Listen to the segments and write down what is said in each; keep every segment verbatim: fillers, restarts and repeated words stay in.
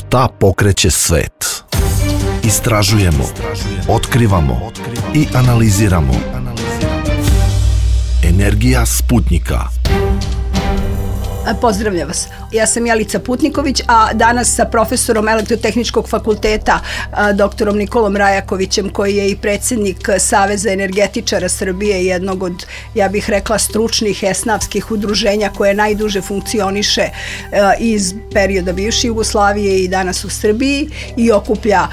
Šta pokreće svet? Istražujemo, otkrivamo i analiziramo. Energija Sputnika. Pozdravljam vas. Ja sam Jelica Putniković, a danas sa profesorom Elektrotehničkog fakulteta, doktorom Nikolom Rajakovićem, koji je i predsjednik Saveza energetičara Srbije, jednog od, ja bih rekla, stručnih esnafskih udruženja koje najduže funkcioniše iz perioda bivše Jugoslavije i danas u Srbiji i okuplja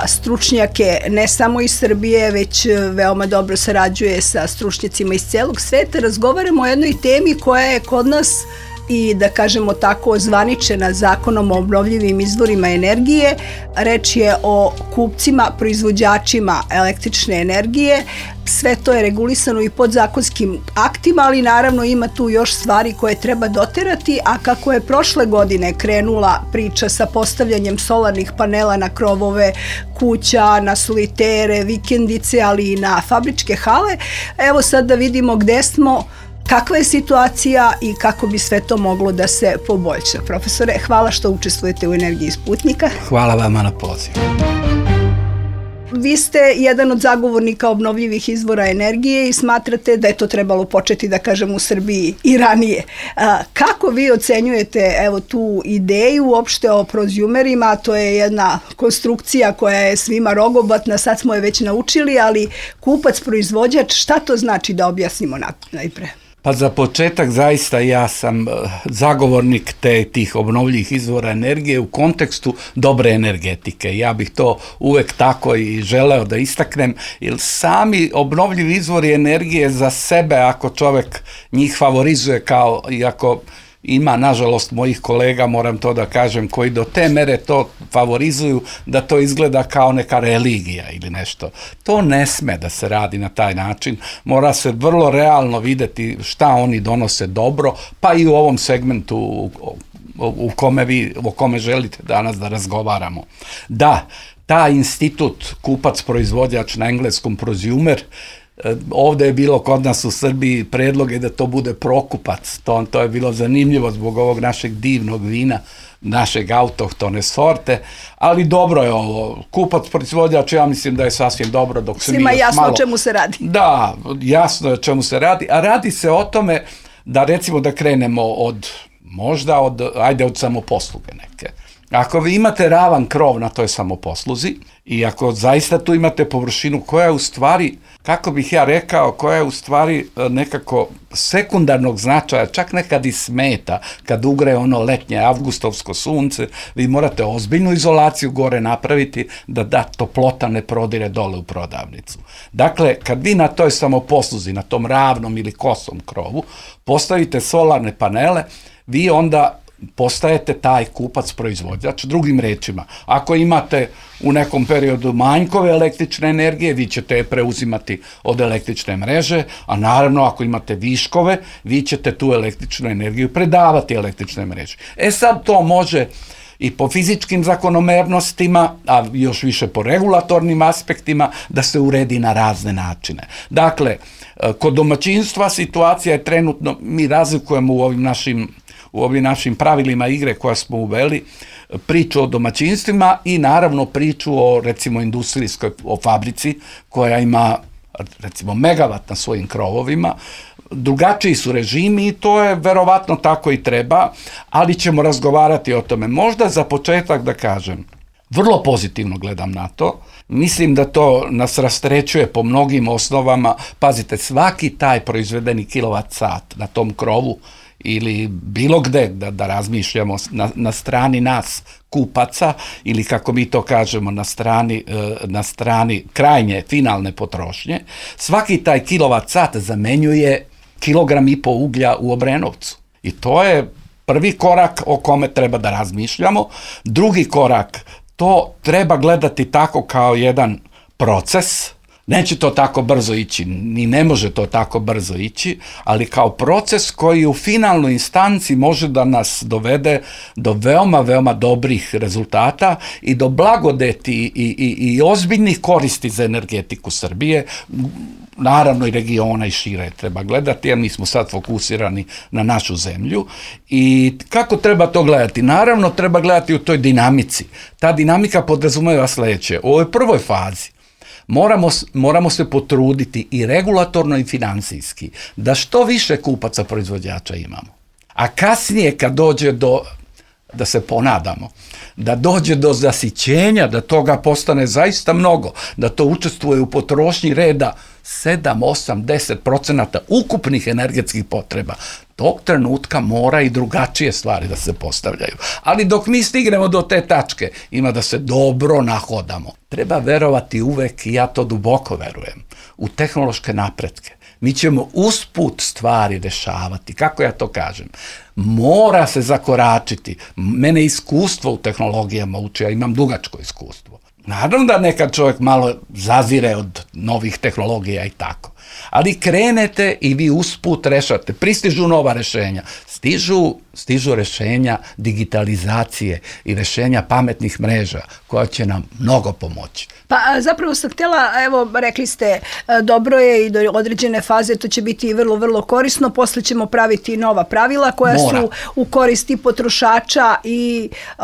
stručnjake ne samo iz Srbije, već veoma dobro sarađuje sa stručnjacima iz celog sveta. Razgovaramo o jednoj temi koja je kod nas i, da kažemo tako, ozvaničena Zakonom o obnovljivim izvorima energije. Reč je o kupcima, proizvođačima električne energije. Sve to je regulisano i podzakonskim aktima, ali naravno ima tu još stvari koje treba doterati, a kako je prošle godine krenula priča sa postavljanjem solarnih panela na krovove kuća, na solitere, vikendice, ali i na fabričke hale, evo sad da vidimo gde smo, kakva je situacija i kako bi sve to moglo da se poboljša. Profesore, hvala što učestvujete u Energiji Sputnika. Hvala vama na pozivu. Vi ste jedan od zagovornika obnovljivih izvora energije i smatrate da je to trebalo početi, da kažem, u Srbiji i ranije. Kako vi ocenjujete evo tu ideju uopšte o prozumerima? To je jedna konstrukcija koja je svima rogobatna, sad smo je već naučili, ali kupac, proizvođač, šta to znači, da objasnimo najpre? Pa za početak zaista ja sam zagovornik te tih obnovljivih izvora energije u kontekstu dobre energetike. Ja bih to uvek tako i želeo da istaknem, jer sami obnovljivi izvori energije za sebe, ako čovek njih favorizuje, kao i ako ima, nažalost, mojih kolega, moram to da kažem, koji do te mere to favorizuju da to izgleda kao neka religija ili nešto. To ne sme da se radi na taj način. Mora se vrlo realno videti šta oni donose dobro, pa i u ovom segmentu u, u kome vi, o kome želite danas da razgovaramo. Da, taj institut kupac-proizvođač, na engleskom prosumer, ovde je bilo kod nas u Srbiji predloge da to bude prokupac. To, to je bilo zanimljivo zbog ovog našeg divnog vina, našeg autohtone sorte, ali dobro je ovo. Kupac, proizvođač, ja mislim da je sasvim dobro, dok se mi još malo... Svima jasno o čemu se radi. Da, jasno je o čemu se radi, a radi se o tome da, recimo, da krenemo od, možda od, ajde od samoposluge neke. Ako vi imate ravan krov na toj samoposluzi i ako zaista tu imate površinu koja je u stvari, kako bih ja rekao, koja je u stvari nekako sekundarnog značaja, čak nekad i smeta, kad ugre ono letnje avgustovsko sunce, vi morate ozbiljnu izolaciju gore napraviti da da toplota ne prodire dole u prodavnicu. Dakle, kad vi na toj samoposluzi, na tom ravnom ili kosom krovu, postavite solarne panele, vi onda postajete taj kupac-proizvođač. Drugim rečima, ako imate u nekom periodu manjkove električne energije, vi ćete je preuzimati od električne mreže, a naravno ako imate viškove, vi ćete tu električnu energiju predavati električne mreže. E sad to može i po fizičkim zakonomernostima, a još više po regulatornim aspektima, da se uredi na razne načine. Dakle, kod domaćinstva situacija je trenutno, mi razlikujemo u ovim našim u ovim našim pravilima igre koja smo uveli, priču o domaćinstvima i naravno priču o, recimo, industrijskoj, o fabrici koja ima, recimo, megavat na svojim krovovima. Drugačiji su režimi i to je verovatno tako i treba, ali ćemo razgovarati o tome. Možda za početak da kažem, vrlo pozitivno gledam na to. Mislim da to nas rasterećuje po mnogim osnovama. Pazite, svaki taj proizvedeni kilovat sat na tom krovu ili bilo gde da, da razmišljamo na, na strani nas kupaca ili kako mi to kažemo na strani, na strani krajnje finalne potrošnje, svaki taj kilovat sat zamenjuje kilogram i po uglja u Obrenovcu. I to je prvi korak o kome treba da razmišljamo. Drugi korak, to treba gledati tako kao jedan proces, Neće to tako brzo ići, ni ne može to tako brzo ići, ali kao proces koji u finalnoj instanci može da nas dovede do veoma, veoma dobrih rezultata i do blagodeti i, i, i ozbiljnih koristi za energetiku Srbije, naravno i regiona i šire treba gledati, jer mi smo sad fokusirani na našu zemlju. I kako treba to gledati? Naravno treba gledati u toj dinamici. Ta dinamika podrazumeva sledeće. U ovoj prvoj fazi Moramo, moramo se potruditi i regulatorno i financijski da što više kupaca proizvođača imamo. A kasnije kad dođe do, da se ponadamo, da dođe do zasićenja, da toga postane zaista mnogo, da to učestvuje u potrošnji reda sedam, osam, deset procenata ukupnih energetskih potreba, tog trenutka mora i drugačije stvari da se postavljaju. Ali dok mi stignemo do te tačke, ima da se dobro nahodamo. Treba verovati uvek, i ja to duboko verujem, u tehnološke napretke. Mi ćemo usput stvari rešavati. Kako ja to kažem? Mora se zakoračiti. Mene iskustvo u tehnologijama uči, ja imam dugačko iskustvo. Naravno da nekad čovjek malo zazire od novih tehnologija i tako. Ali krenete i vi usput rešate. Pristižu nova rešenja. Stižu, stižu rešenja digitalizacije i rešenja pametnih mreža koja će nam mnogo pomoći. Pa zapravo sam htjela, evo rekli ste, dobro je i do određene faze to će biti vrlo, vrlo korisno, posle ćemo praviti nova pravila koja Mora. su u koristi potrošača i uh,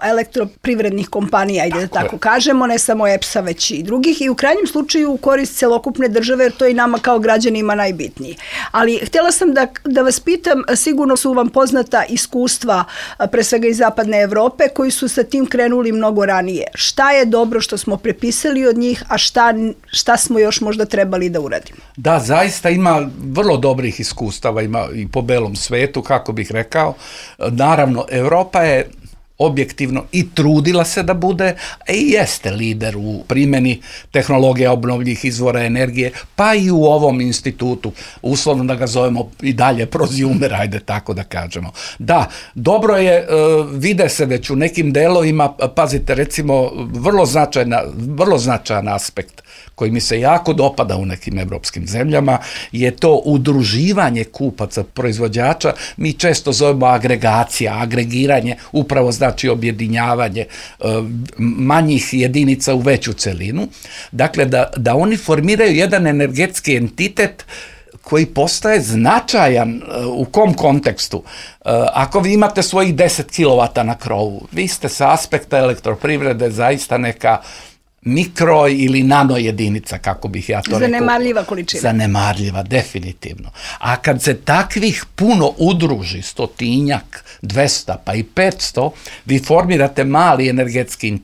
elektroprivrednih kompanija, ajde tako da tako je. kažemo, ne samo E P S-a već i drugih, i u krajnjem slučaju u korist celokupne države, jer to je nama kao građanima najbitnije. Ali htjela sam da, da vas pitam, sigurno su vam poznata iskustva, pre svega iz zapadne Evrope, koji su sa tim krenuli mnogo ranije. Šta je dobro što smo prepisali od njih, a šta, šta smo još možda trebali da uradimo? Da, zaista ima vrlo dobrih iskustava, ima i po belom svetu, kako bih rekao. Naravno, Evropa je objektivno i trudila se da bude, a i jeste lider u primjeni tehnologija obnovljivih izvora energije, pa i u ovom institutu, uslovno da ga zovemo i dalje proziumer, ajde tako da kažemo. Da, dobro je, vide se već u nekim delovima, pazite, recimo, vrlo značajna, vrlo značajan aspekt koji mi se jako dopada u nekim evropskim zemljama, je to udruživanje kupaca, proizvođača. Mi često zovemo agregacija, agregiranje, upravo znači objedinjavanje manjih jedinica u veću celinu. Dakle, da, da oni formiraju jedan energetski entitet koji postaje značajan u kom kontekstu. Ako vi imate svojih deset kilovata na krovu, vi ste sa aspekta elektroprivrede zaista neka mikro ili nano jedinica, kako bih ja to rekao. Zanemarljiva količina. Zanemarljiva, definitivno. A kad se takvih puno udruži, stotinjak, dvesta pa i petsto, vi formirate mali energetski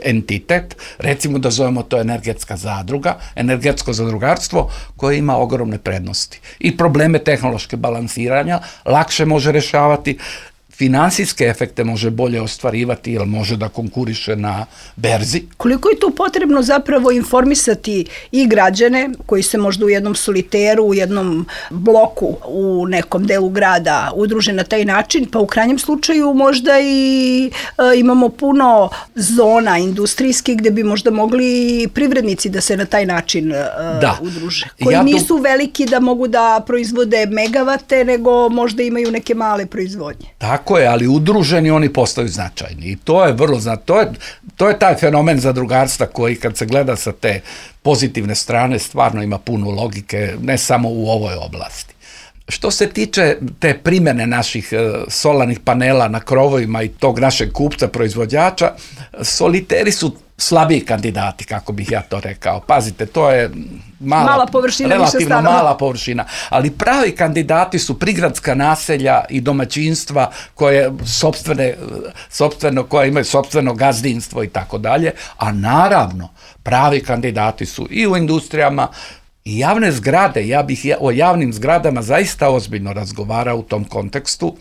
entitet, recimo da zovemo to energetska zadruga, energetsko zadrugarstvo, koje ima ogromne prednosti. I probleme tehnološke balansiranja lakše može rešavati, finansijske efekte može bolje ostvarivati, jer može da konkuriše na berzi. Koliko je tu potrebno zapravo informisati i građane koji se možda u jednom soliteru, u jednom bloku, u nekom delu grada udruže na taj način, pa u krajnjem slučaju možda i e, imamo puno zona industrijskih gde bi možda mogli privrednici da se na taj način e, da. udruže. Koji ja nisu tu... veliki da mogu da proizvode megavate, nego možda imaju neke male proizvodnje. Tako je, ali udruženi oni postaju značajni i to je vrlo značajno. To je, to je taj fenomen zadrugarstva koji kad se gleda sa te pozitivne strane stvarno ima puno logike, ne samo u ovoj oblasti. Što se tiče te primjene naših solarnih panela na krovovima i tog našeg kupca, proizvođača, soliteri su slabiji kandidati, kako bih ja to rekao. Pazite, to je mala, mala površina, relativno mala površina, ali pravi kandidati su prigradska naselja i domaćinstva koje sopstvene, sopstveno, koje imaju sopstveno gazdinstvo i tako dalje, a naravno pravi kandidati su i u industrijama i javne zgrade. Ja bih o javnim zgradama zaista ozbiljno razgovarao u tom kontekstu.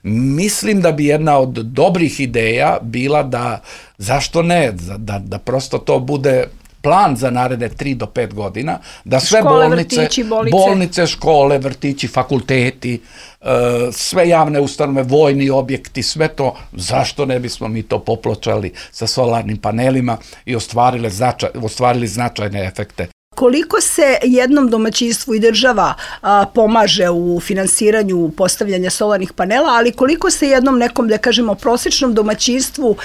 Mislim da bi jedna od dobrih ideja bila da, zašto ne, da, da prosto to bude plan za naredne tri do pet godina, da sve škole, bolnice, vrtići, bolnice, škole, vrtići, fakulteti, sve javne ustanove, vojni objekti, sve to, zašto ne bismo mi to popločali sa solarnim panelima i ostvarili, značaj, ostvarili značajne efekte. koliko se jednom domaćinstvu i država a, pomaže u finansiranju postavljanja solarnih panela, ali koliko se jednom nekom, da kažemo, prosječnom domaćinstvu,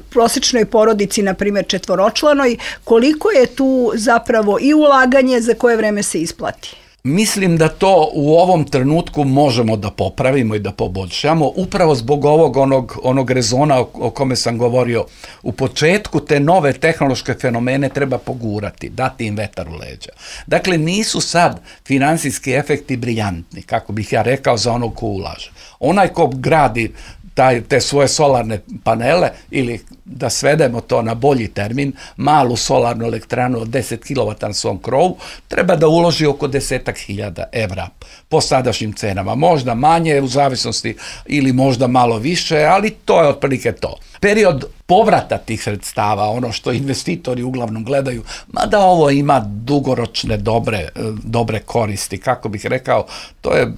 prosječnoj porodici, na primjer četvoročlanoj, koliko je tu zapravo i ulaganje, za koje vreme se isplati? Mislim da to u ovom trenutku možemo da popravimo i da poboljšamo, upravo zbog ovog onog, onog rezona o, o kome sam govorio. U početku te nove tehnološke fenomene treba pogurati, dati im vetar u leđa. Dakle, nisu sad finansijski efekti briljantni, kako bih ja rekao, za onog ko ulaže. Onaj ko gradi taj, te svoje solarne panele, ili da svedemo to na bolji termin, malu solarnu elektranu od deset kilovata na svom krovu, treba da uloži oko desetak hiljada evra po sadašnjim cenama. Možda manje u zavisnosti ili možda malo više, ali to je otprilike to. Period povrata tih sredstava, ono što investitori uglavnom gledaju, mada ovo ima dugoročne dobre, dobre koristi, kako bih rekao, to je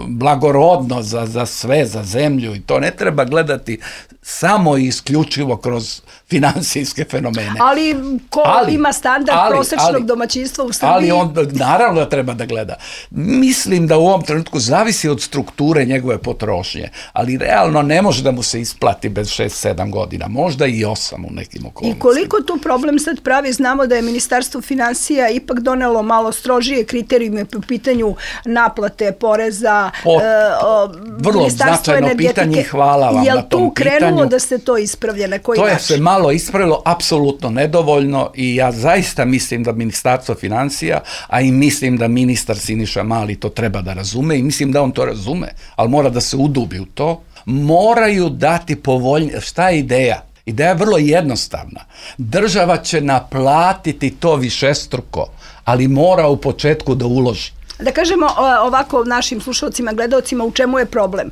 blagorodno za, za sve, za zemlju, i to ne treba gledati samo i isključivo kroz finansijske fenomene. Ali ko ali, ima standard ali, prosječnog ali, domaćinstva u Srbiji? Ali on naravno da treba da gleda. Mislim da u ovom trenutku zavisi od strukture njegove potrošnje, ali realno ne može da mu se isplati bez šest sedam godina, možda i osam u nekim okolnostima. I koliko tu problem sad pravi? Znamo da je Ministarstvo finansija ipak donelo malo strožije kriterijume po pitanju naplate poreza. Pot, e, o, vrlo značajno pitanje, hvala vam Jel na tom tu krenulo pitanju. Da se to ispravlja? Na koji to način? je se malo ispravilo, apsolutno nedovoljno, i ja zaista mislim da Ministarstvo finansija, a i mislim da ministar Siniša Mali to treba da razume, i mislim da on to razume, ali mora da se udubi u to, moraju dati povoljnije. Šta je ideja? Ideja je vrlo jednostavna. Država će naplatiti to višestruko, ali mora u početku da uloži. Da kažemo ovako našim slušalcima, gledaocima, u čemu je problem.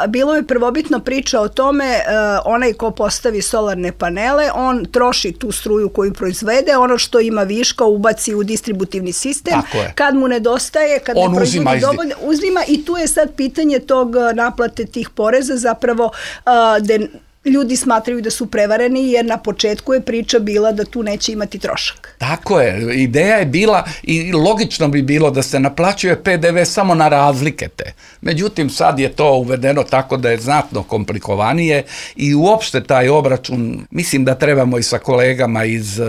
Bilo je prvobitno priča o tome, onaj ko postavi solarne panele, on troši tu struju koju proizvede, ono što ima viška ubaci u distributivni sistem. Kad mu nedostaje, kad on ne proizvodi uzima, dovoljno, uzima, i tu je sad pitanje tog naplate tih poreza, zapravo da ljudi smatraju da su prevareni, jer na početku je priča bila da tu neće imati trošak. Tako je, ideja je bila, i logično bi bilo da se naplaćuje pe de ve samo na razlike te. Međutim, sad je to uvedeno tako da je znatno komplikovanije, i uopšte taj obračun, mislim da trebamo i sa kolegama iz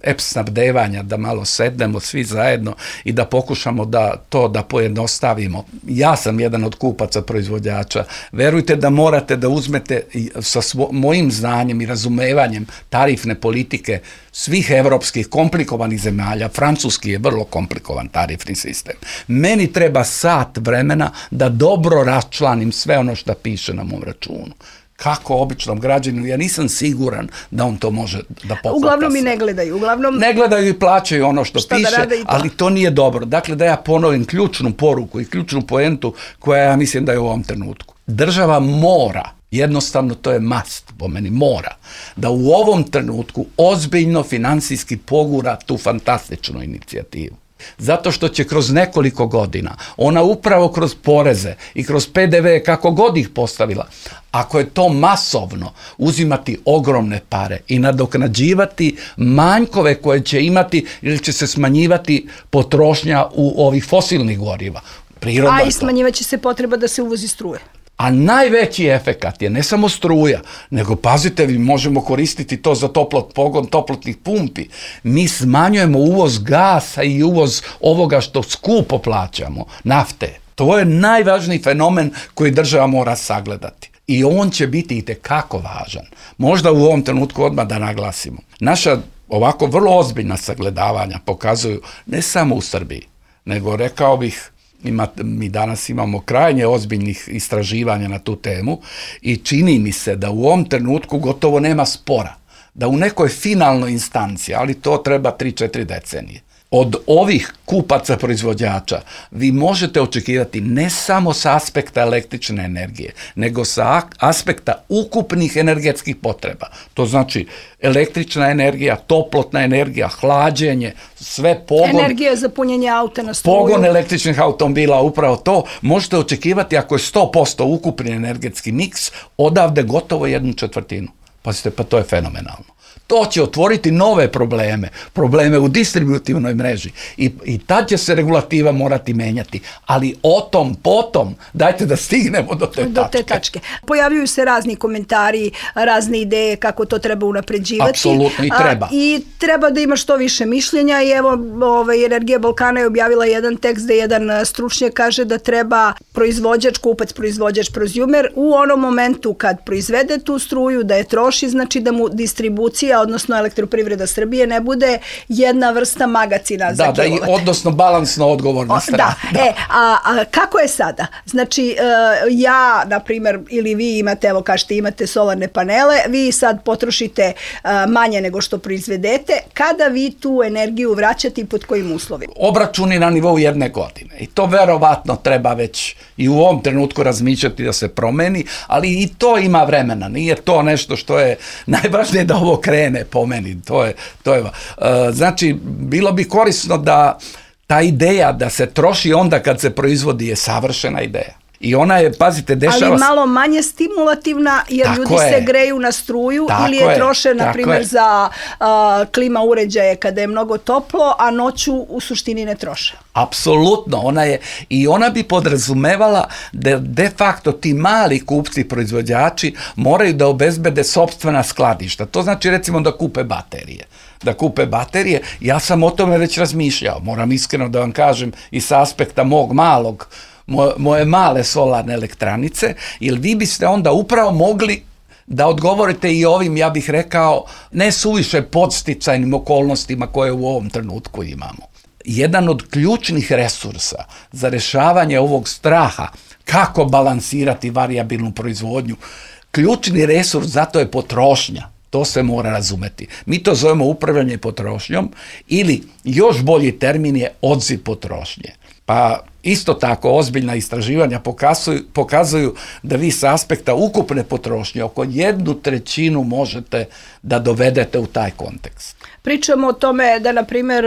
E P S snabdevanja da malo sednemo svi zajedno i da pokušamo da to da pojednostavimo. Ja sam jedan od kupaca proizvođača. Verujte da morate da uzmete sa mojim znanjem i razumevanjem tarifne politike svih evropskih komplikovanih zemalja. Francuski je vrlo komplikovan tarifni sistem. Meni treba sat vremena da dobro raščlanim sve ono što piše na mom računu. Kako običnom građaninu, ja nisam siguran da on to može da poplata. Uglavnom i ne gledaju. Uglavnom... Ne gledaju i plaćaju ono što piše, to. Ali to nije dobro. Dakle, da ja ponovim ključnu poruku i ključnu poentu koja ja mislim da je u ovom trenutku. Država mora, jednostavno to je must, po meni mora, da u ovom trenutku ozbiljno finansijski pogura tu fantastičnu inicijativu. Zato što će kroz nekoliko godina, ona upravo kroz poreze i kroz pe de ve, kako god ih postavila, ako je to masovno, uzimati ogromne pare i nadoknađivati manjkove koje će imati, ili će se smanjivati potrošnja u ovih fosilnih goriva. Prirodno. A i smanjivaće se potreba da se uvozi struje. A najveći efekat je ne samo struja, nego, pazite, mi možemo koristiti to za toplot pogon toplotnih pumpi. Mi smanjujemo uvoz gasa i uvoz ovoga što skupo plaćamo, nafte. To je najvažniji fenomen koji država mora sagledati. I on će biti itekako važan. Možda u ovom trenutku odmah da naglasimo. Naša ovako vrlo ozbiljna sagledavanja pokazuju ne samo u Srbiji, nego, rekao bih, Ima, mi danas imamo krajnje ozbiljnih istraživanja na tu temu, i čini mi se da u ovom trenutku gotovo nema spora, da u nekoj finalnoj instanciji, ali to treba tri četiri decenije, od ovih kupaca proizvođača vi možete očekivati ne samo sa aspekta električne energije, nego sa aspekta ukupnih energetskih potreba. To znači električna energija, toplotna energija, hlađenje, sve pogon... Energija za punjenje auta na struju. Pogon električnih automobila, upravo to. Možete očekivati, ako je sto posto ukupni energetski miks, odavde gotovo jednu četvrtinu. Pazite, pa to je fenomenalno. To će otvoriti nove probleme, probleme u distributivnoj mreži i, i tad će se regulativa morati menjati, ali o tom, potom, dajte da stignemo do te, do tačke. te tačke. Pojavljuju se razni komentari, razne ideje kako to treba unapređivati. Apsolutno i treba. A, I treba da ima što više mišljenja i evo ovaj, Energija Balkana je objavila jedan tekst gde jedan stručnjak kaže da treba proizvođač, kupac, proizvođač, prozumer u onom momentu kad proizvede tu struju, da je troši, znači da mu distribucija, odnosno Elektroprivreda Srbije ne bude jedna vrsta magacina za kilovate. Da, da, odnosno balansno odgovorna strana. Da, da. E, a, a kako je sada? Znači, e, ja, na primjer, ili vi imate, evo kažete, imate solarne panele, vi sad potrošite e, manje nego što proizvedete, kada vi tu energiju vraćate i pod kojim uslovima? Obračuni na nivou jedne godine. I to verovatno treba već i u ovom trenutku razmišljati da se promeni, ali i to ima vremena. Nije to nešto što je najvažnije da ovo krene po meni. To je, to je, uh, znači, bilo bi korisno da ta ideja da se troši onda kad se proizvodi je savršena ideja. I ona je, pazite, dešava... Ali malo manje stimulativna, jer tako ljudi je. se greju na struju tako ili je, je troše, na primjer, je. za uh, klima uređaje kada je mnogo toplo, a noću u suštini ne troše. Apsolutno, ona je, i ona bi podrazumevala da de facto ti mali kupci, proizvođači moraju da obezbede sopstvena skladišta. To znači recimo da kupe baterije. Da kupe baterije, ja sam o tome već razmišljao, moram iskreno da vam kažem i sa aspekta mog malog, moje, moje male solarne elektranice, jer vi biste onda upravo mogli da odgovorite i ovim, ja bih rekao, ne suviše podsticajnim okolnostima koje u ovom trenutku imamo. Jedan od ključnih resursa za rešavanje ovog straha, kako balansirati varijabilnu proizvodnju, ključni resurs zato je potrošnja. To se mora razumeti. Mi to zovemo upravljanje potrošnjom ili još bolji termin je odziv potrošnje. Pa isto tako ozbiljna istraživanja pokazuju, pokazuju da vi sa aspekta ukupne potrošnje oko jednu trećinu možete da dovedete u taj kontekst. Pričamo o tome da, na primjer,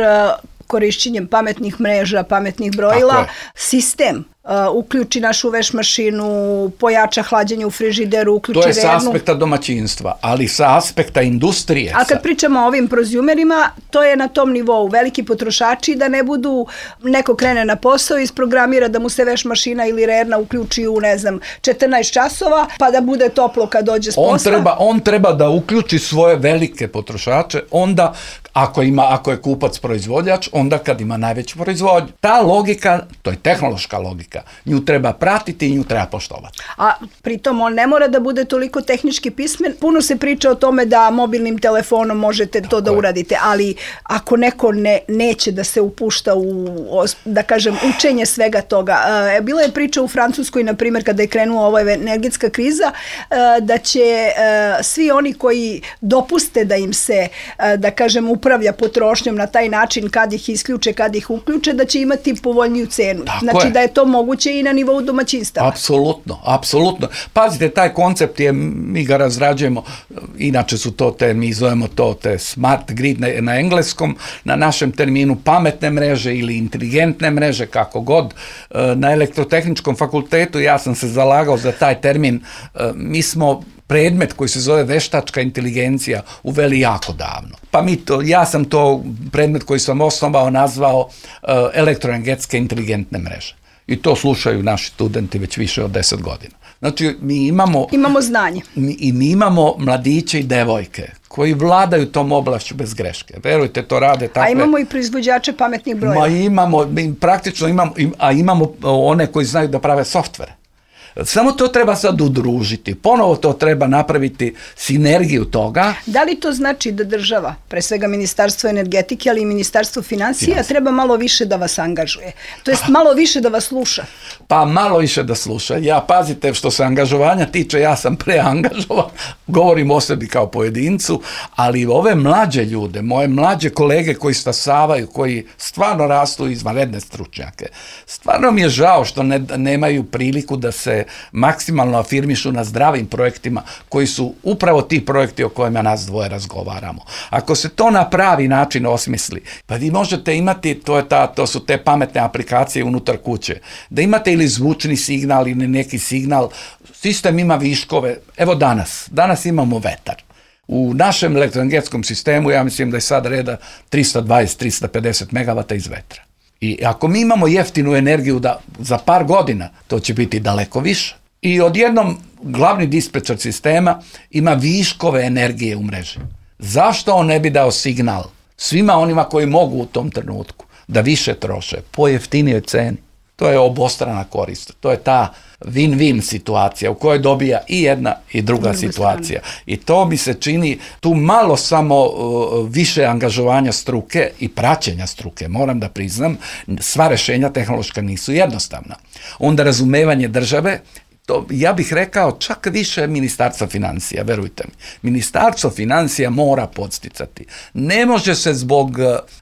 korišćenjem pametnih mreža, pametnih brojila, sistem uh, uključi našu veš mašinu, pojača hlađenje u frižideru, uključi vernu. To je sa aspekta domaćinstva, ali sa aspekta industrije. A kad pričamo o ovim prozumerima, to je na tom nivou. Veliki potrošači da ne budu, neko krene na posao i isprogramira da mu se veš mašina ili rerna uključi u, ne znam, četrnaest časova, pa da bude toplo kad dođe s posla. On treba, on treba da uključi svoje velike potrošače, onda ako ima, ako je kupac proizvođač, onda kad ima najveću proizvodnju. Ta logika, to je tehnološka logika, nju treba pratiti i nju treba poštovati. A pritom on ne mora da bude toliko tehnički pismen. Puno se priča o tome da mobilnim telefonom možete Tako to da je. uradite, ali ako neko ne, neće da se upušta u, da kažem, učenje svega toga. E, bila je priča u Francuskoj, na primjer, kada je krenula ova energetska kriza, e, da će e, svi oni koji dopuste da im se, e, da kažem, upravlja potrošnjom na taj način kad ih isključe, kad ih uključe, da će imati povoljniju cenu. Tako znači je. da je to moguće i na nivou domaćinstava. Apsolutno, apsolutno. Pazite, taj koncept je, mi ga razrađujemo, inače su to te, mi zovemo to te smart grid na, na engleskom, na našem terminu pametne mreže ili inteligentne mreže, kako god. Na Elektrotehničkom fakultetu ja sam se zalagao za taj termin. Mi smo predmet koji se zove veštačka inteligencija uveli jako davno. Pa mi to, ja sam to predmet koji sam osnovao nazvao uh, elektroenergetske inteligentne mreže. I to slušaju naši studenti već više od deset godina. Znači, mi imamo... Imamo znanje. Mi, I mi imamo mladiće i devojke koji vladaju tom oblašću bez greške. Verujte, to rade takve... A imamo i proizvođače pametnih brojeva. Ma imamo, mi praktično imamo, a imamo one koji znaju da prave softvere. Samo to treba sad udružiti. Ponovo to treba napraviti sinergiju toga. Da li to znači da država, pre svega Ministarstvo energetike, ali i Ministarstvo financija, Financija. treba malo više da vas angažuje? To jest malo više da vas sluša? Pa malo više da sluša. Ja, pazite, što se angažovanja tiče, ja sam preangažovan, govorim o sebi kao pojedincu, ali ove mlađe ljude, moje mlađe kolege koji stasavaju, koji stvarno rastu izvanredne stručnjake, stvarno mi je žao što ne, nemaju priliku da se maksimalno afirmišu na zdravim projektima koji su upravo ti projekti o kojima nas dvoje razgovaramo. Ako se to na pravi način osmisli, pa vi možete imati, to, je ta, to su te pametne aplikacije unutar kuće, da imate ili zvučni signal ili neki signal, sistem ima viškove. Evo danas, danas imamo vetar. U našem elektroenergetskom sistemu ja mislim da je sad reda tristo dvadeset do tristo pedeset megavata iz vetra. I ako mi imamo jeftinu energiju da za par godina to će biti daleko više. I odjednom glavni dispečer sistema ima viškove energije u mreži. Zašto on ne bi dao signal svima onima koji mogu u tom trenutku da više troše po jeftinijoj ceni? To je obostrana korist. To je ta win-win situacija u kojoj dobija i jedna i druga, druga situacija. Strana. I to mi se čini tu malo samo uh, više angažovanja struke i praćenja struke. Moram da priznam, sva rešenja tehnološka nisu jednostavna. Onda razumevanje države, to, ja bih rekao čak više Ministarstva financija, verujte mi. Ministarstvo financija mora podsticati. Ne može se zbog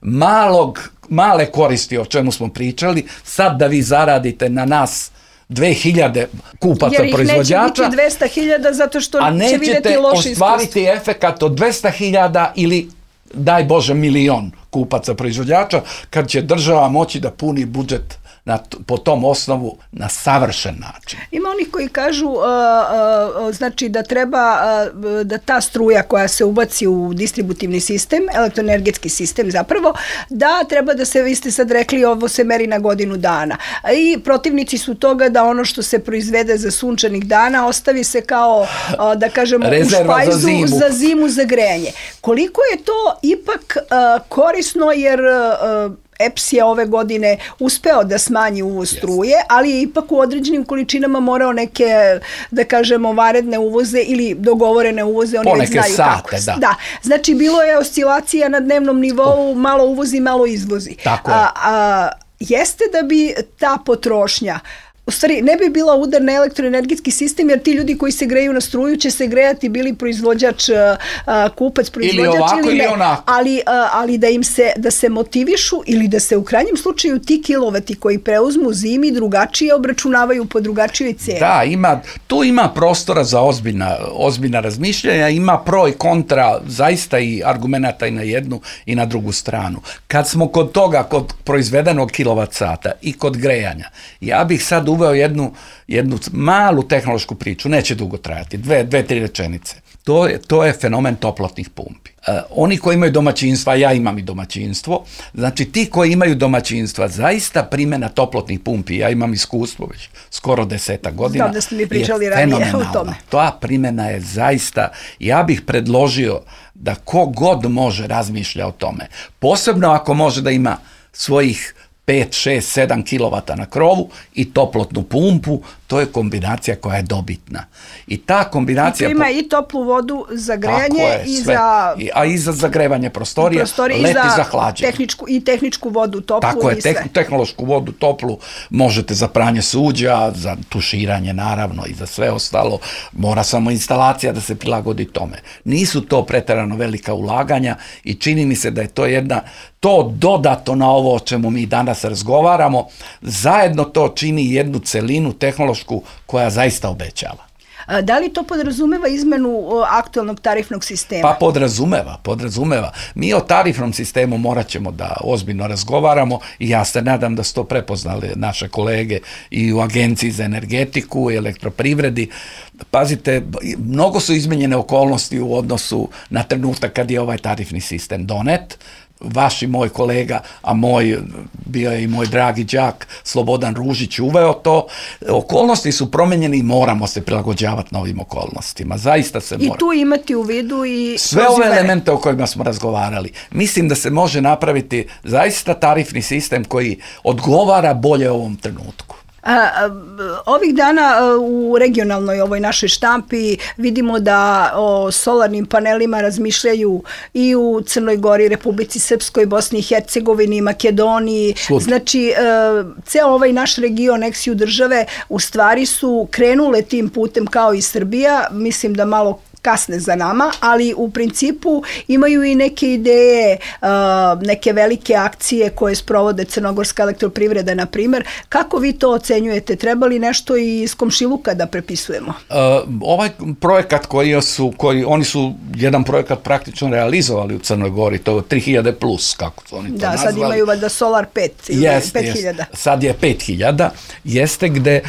malog, male koristi o čemu smo pričali, sad da vi zaradite na nas dve hiljade kupaca proizvođača. Jer ih neće biti dvesta hiljada zato što će vidjeti loši iskustvo. A nećete ostvariti efekat od dvesta hiljada ili daj Bože milion kupaca proizvođača kad će država moći da puni budžet Na, po tom osnovu na savršen način. Ima onih koji kažu uh, uh, znači da treba uh, da ta struja koja se ubaci u distributivni sistem, elektroenergetski sistem zapravo, da treba da se, vi ste sad rekli, ovo se meri na godinu dana. I protivnici su toga da ono što se proizvede za sunčanih dana ostavi se kao, uh, da kažemo, rezerva u špajzu za zimu. za zimu za grejanje. Koliko je to ipak uh, korisno jer uh, E P S je ove godine uspeo da smanji uvoz struje, ali je ipak u određenim količinama morao neke, da kažemo, vanredne uvoze ili dogovorene uvoze, oni već znaju sate, kako. Da. da. Znači, bilo je oscilacija na dnevnom nivou, malo uvozi, malo izvozi. Tako je. A, a, jeste da bi ta potrošnja u stvari ne bi bila udar na elektroenergetski sistem, jer ti ljudi koji se greju na struju će se grejati bili proizvođač, kupac, proizvođač ili ovako ili, ili ne, onako. ali, ali da im se, da se motivišu ili da se u krajnjem slučaju ti kilovati koji preuzmu zimi drugačije obračunavaju po drugačijoj ceni. Da, ima, tu ima prostora za ozbiljna, ozbiljna razmišljanja, ima pro i kontra zaista i argumenata i na jednu i na drugu stranu. Kad smo kod toga, kod proizvedenog kilovat sata i kod grejanja, ja bih sad uveo jednu, jednu malu tehnološku priču, neće dugo trajati, dve, dve, tri rečenice. To je, to je fenomen toplotnih pumpi. E, oni koji imaju domaćinstva, ja imam i domaćinstvo, znači ti koji imaju domaćinstva, zaista primjena toplotnih pumpi, ja imam iskustvo već skoro deseta godina, znam da ste mi pričali ranije o tome. Ta primjena je zaista, ja bih predložio da ko god može razmišlja o tome, posebno ako može da ima svojih pet, šest, sedam kilovata na krovu i toplotnu pumpu, to je kombinacija koja je dobitna. I ta kombinacija... I to ima po... i toplu vodu za grejanje je, i sve. za... I, a i za zagrevanje prostorija, prostorije, leti i za, za hlađenje. Tehničku, I tehničku vodu toplu. Tako je, i sve. Tek, tehnološku vodu toplu možete za pranje suđa, za tuširanje naravno i za sve ostalo. Mora samo instalacija da se prilagodi tome. Nisu to preterano velika ulaganja i čini mi se da je to jedna... To dodato na ovo o čemu mi danas razgovaramo, zajedno to čini jednu celinu tehnološku koja zaista obećava. Da li to podrazumeva izmenu aktualnog tarifnog sistema? Pa podrazumeva, podrazumeva. Mi o tarifnom sistemu morat ćemo da ozbiljno razgovaramo i ja se nadam da su to prepoznali naše kolege i u Agenciji za energetiku i elektroprivredi. Pazite, mnogo su izmenjene okolnosti u odnosu na trenutak kad je ovaj tarifni sistem donet. Vaš i moj kolega, a moj, bio je i moj dragi đak Slobodan Ružić uveo to. Okolnosti su promenjene i moramo se prilagođavati novim okolnostima. Zaista se mora. I tu imati u vidu i... sve ove elemente o kojima smo razgovarali. Mislim da se može napraviti zaista tarifni sistem koji odgovara bolje ovom trenutku. A, a, ovih dana a, u regionalnoj ovoj našoj štampi vidimo da o solarnim panelima razmišljaju i u Crnoj Gori, Republici Srpskoj, Bosni i Hercegovini, Makedoniji. Slud. Znači, a, ceo ovaj naš region, eksiju države, u stvari su krenule tim putem kao i Srbija. Mislim da malo kasne za nama, ali u principu imaju i neke ideje, neke velike akcije koje sprovode Crnogorska elektroprivreda, na primjer. Kako vi to ocenjujete? Treba li nešto i iz komšiluka da prepisujemo? Uh, ovaj projekat koji su, koji, oni su jedan projekat praktično realizovali u Crnoj Gori, to je tri hiljade plus, kako su oni to da, nazvali. Da, sad imaju valjda Solar pet ili jest, pet hiljada. Jest. Sad je pet hiljada, jeste gde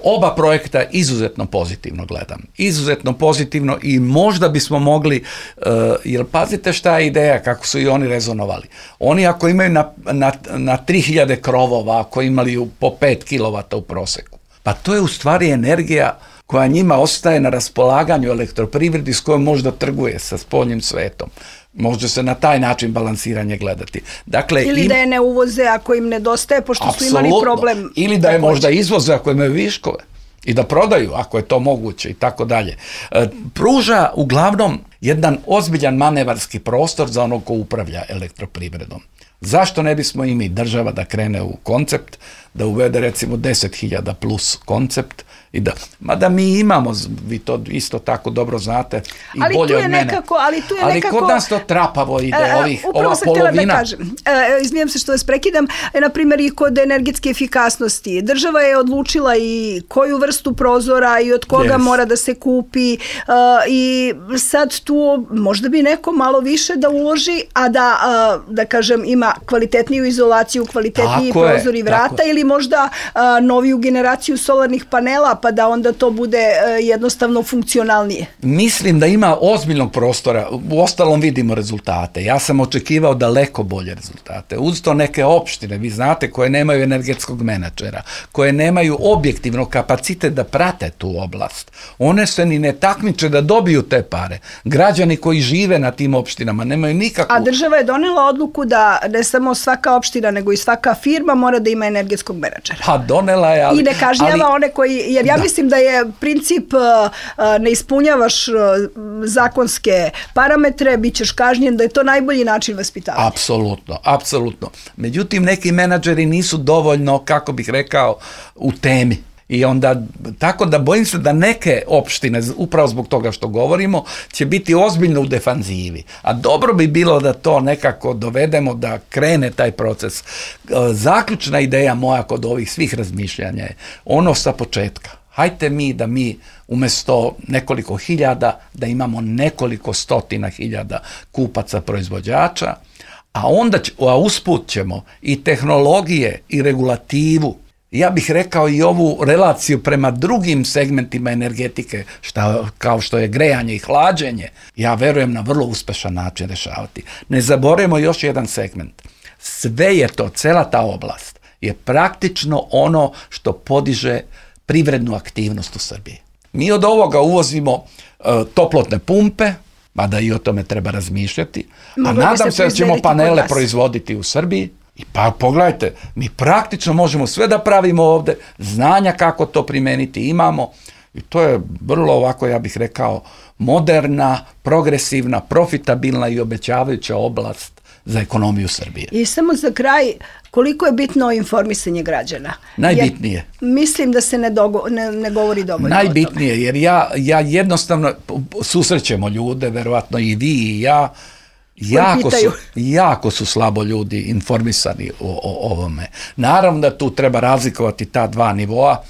oba projekta izuzetno pozitivno gledam. Izuzetno pozitivno i možda bismo mogli, uh, jer pazite šta je ideja, kako su i oni rezonovali. Oni ako imaju na, na, na tri hiljade krovova, ako imali po pet kilovata u proseku, pa to je u stvari energija koja njima ostaje na raspolaganju elektroprivredi s kojom možda trguje sa spoljnim svetom. Može se na taj način balansiranje gledati. Dakle, ili im, da je ne uvoze ako im nedostaje, pošto su imali problem. Ili da je možda izvoze ako imaju viškove i da prodaju ako je to moguće i tako dalje. Pruža uglavnom jedan ozbiljan manevarski prostor za ono ko upravlja elektroprivredom. Zašto ne bismo i mi država da krene u koncept, da uvede recimo deset hiljada plus koncept i da, mada mi imamo, vi to isto tako dobro znate i ali bolje tu je od mene. Nekako, ali tu je ali nekako... kod nas to trapavo ide, e, ovih, upravo ova sam polovina. htjela da kažem, e, izvijem se što vas prekidam, e, na primjer i kod energetske efikasnosti. Država je odlučila i koju vrstu prozora i od koga yes. mora da se kupi e, i sad tu možda bi neko malo više da uloži, a da, a, da kažem, ima kvalitetniju izolaciju, kvalitetniji tako prozor je, i vrata ili možda a, noviju generaciju solarnih panela pa da onda to bude a, jednostavno funkcionalnije. Mislim da ima ozbiljnog prostora, u ostalom vidimo rezultate. Ja sam očekivao daleko bolje rezultate. Uz to neke opštine, vi znate, koje nemaju energetskog menadžera, koje nemaju objektivno kapacitet da prate tu oblast. One se ni ne takmiče da dobiju te pare. Građani koji žive na tim opštinama nemaju nikakvu... A država je donela odluku da ne samo svaka opština, nego i svaka firma mora da ima energetskog menadžera. Pa donela je, ali... I ne kažnjava ali, one koji... Jer ja da. mislim da je princip uh, ne ispunjavaš uh, zakonske parametre, bit ćeš kažnjen, da je to najbolji način vaspitavanja. Apsolutno, apsolutno. Međutim, neki menadžeri nisu dovoljno, kako bih rekao, u temi. I onda, tako da bojim se da neke opštine, upravo zbog toga što govorimo, će biti ozbiljno u defanzivi. A dobro bi bilo da to nekako dovedemo, da krene taj proces. Zaključna ideja moja kod ovih svih razmišljanja je ono sa početka. Hajte mi da mi umjesto nekoliko hiljada, da imamo nekoliko stotina hiljada kupaca proizvođača, a onda će, a usput ćemo i tehnologije i regulativu, ja bih rekao i ovu relaciju prema drugim segmentima energetike, šta, kao što je grejanje i hlađenje, ja verujem na vrlo uspešan način rešavati. Ne zaboravimo još jedan segment. Sve je to, cela ta oblast je praktično ono što podiže privrednu aktivnost u Srbiji. Mi od ovoga uvozimo uh, toplotne pumpe, mada i o tome treba razmišljati, a nadam se da ćemo panele proizvoditi u Srbiji. I pa pogledajte, mi praktično možemo sve da pravimo ovde, znanja kako to primeniti imamo i to je vrlo ovako, ja bih rekao, moderna, progresivna, profitabilna i obećavajuća oblast za ekonomiju Srbije. I samo za kraj, koliko je bitno informisanje građana? Najbitnije. Jer mislim da se ne, dogo, ne, ne govori dovoljno Najbitnije, o tome. jer ja, ja jednostavno susrećemo ljude, verovatno i vi i ja, Jako su, jako su slabo ljudi informisani o, o ovome. Naravno da tu treba razlikovati ta dva nivoa.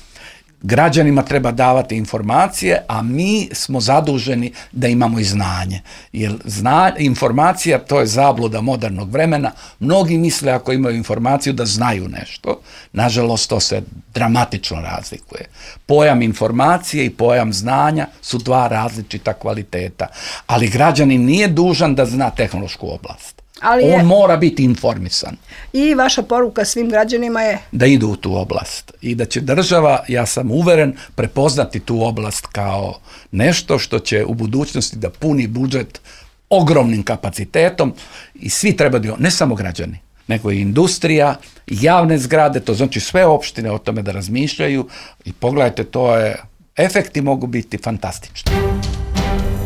Građanima treba davati informacije, a mi smo zaduženi da imamo i znanje. Jer zna, informacija, to je zabluda modernog vremena. Mnogi misle ako imaju informaciju da znaju nešto. Nažalost, to se dramatično razlikuje. Pojam informacije i pojam znanja su dva različita kvaliteta. Ali građanin nije dužan da zna tehnološku oblast. Ali on je, mora biti informisan. I vaša poruka svim građanima je? Da idu u tu oblast. I da će država, ja sam uveren, prepoznati tu oblast kao nešto što će u budućnosti da puni budžet ogromnim kapacitetom i svi treba da, ne samo građani, nego i industrija, javne zgrade, to znači sve opštine o tome da razmišljaju i pogledajte, to je, efekti mogu biti fantastični.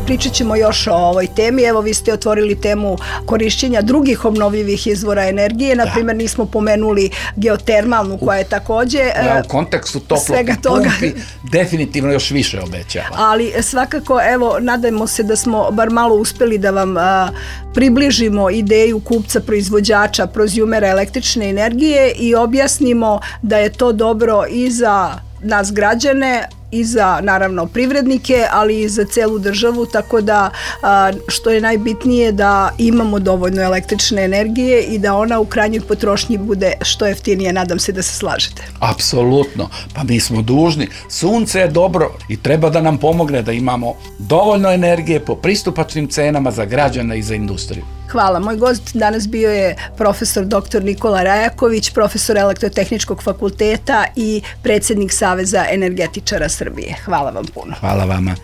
Pričat ćemo još o ovoj temi. Evo, vi ste otvorili temu korišćenja drugih obnovljivih izvora energije. Na primjer, nismo pomenuli geotermalnu, koja je takođe... Ja, u kontekstu toplotnih pumpi definitivno još više obećava. Ali svakako, evo, nadajmo se da smo bar malo uspeli da vam a, približimo ideju kupca proizvođača, prozjumera električne energije i objasnimo da je to dobro i za nas građane i za, naravno, privrednike, ali i za celu državu, tako da a, što je najbitnije da imamo dovoljno električne energije i da ona u krajnjoj potrošnji bude što jeftinije. Nadam se da se slažete. Apsolutno. Pa mi smo dužni. Sunce je dobro i treba da nam pomogne da imamo dovoljno energije po pristupačnim cenama za građane i za industriju. Hvala. Moj gost danas bio je profesor doktor Nikola Rajaković, profesor Elektrotehničkog fakulteta i predsjednik Saveza energetičara Srbije. Hvala vam puno. Hvala vama.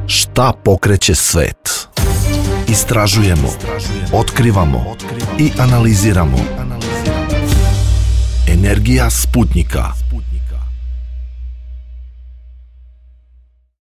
Šta pokreće svet? Istražujemo, otkrivamo i analiziramo. Energija Sputnika.